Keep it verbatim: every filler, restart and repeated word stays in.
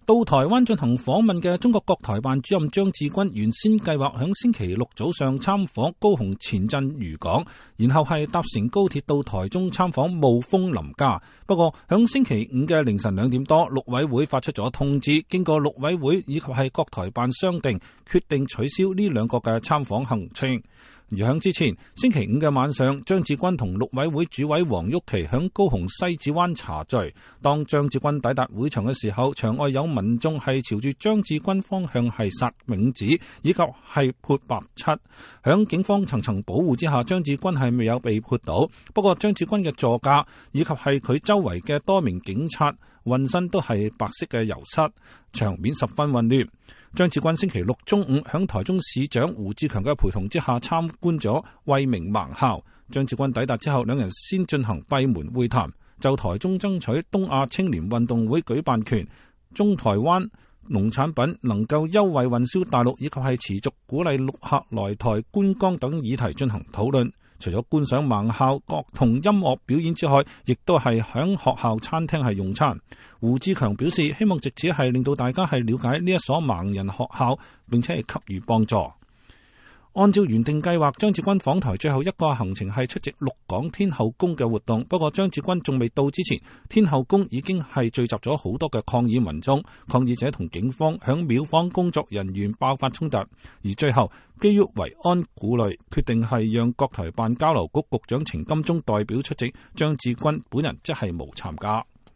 到台灣進行訪問嘅中國國台辦主任張志軍原先計劃響星期六早上參訪高雄前鎮漁港，然後係搭乘高鐵到台中參訪霧峰林家。不過響星期五嘅凌晨兩點多，陸委會發出咗通知，經過陸委會以及係國台辦商定，決定取消呢兩個嘅參訪行程。而響之前，星期五嘅晚上，張志軍同陸委會主委黃郁琪響高雄西子灣茶聚。當張志軍抵達會場嘅時候，場外有民眾係朝住張志軍方向係撒冥紙以及係潑白漆。響警方層層保護之下，張志軍係未有被潑倒。不過張志軍嘅座駕以及係佢周圍嘅多名警察渾身都係白色嘅油漆，場面十分混亂。張志軍星期六中午響台中市長胡志強嘅陪同之下參觀咗惠明盲校。張志軍抵達之後，兩人先進行閉門會談，就台中爭取東亞青年運動會舉辦權、中台灣農產品能夠優惠運銷大陸，以及係持續鼓勵陸客來台觀光等議題進行討論。除咗觀賞盲校樂同音樂表演之外，亦都係響學校餐廳係用餐。胡志強表示，希望藉此係令到大家係了解呢一所盲人學校，並且係給予幫助。按照原定計劃，張志軍訪台最後一個行程係出席鹿港天後宮嘅活動。不過張志軍仲未到之前，天後宮已經係聚集咗好多嘅抗議民眾，抗議者同警方響廟方工作人員爆發衝突，而最後基於維安顧慮，決定係讓國台辦交流局局長程金忠代表出席，張志軍本人則係無參加。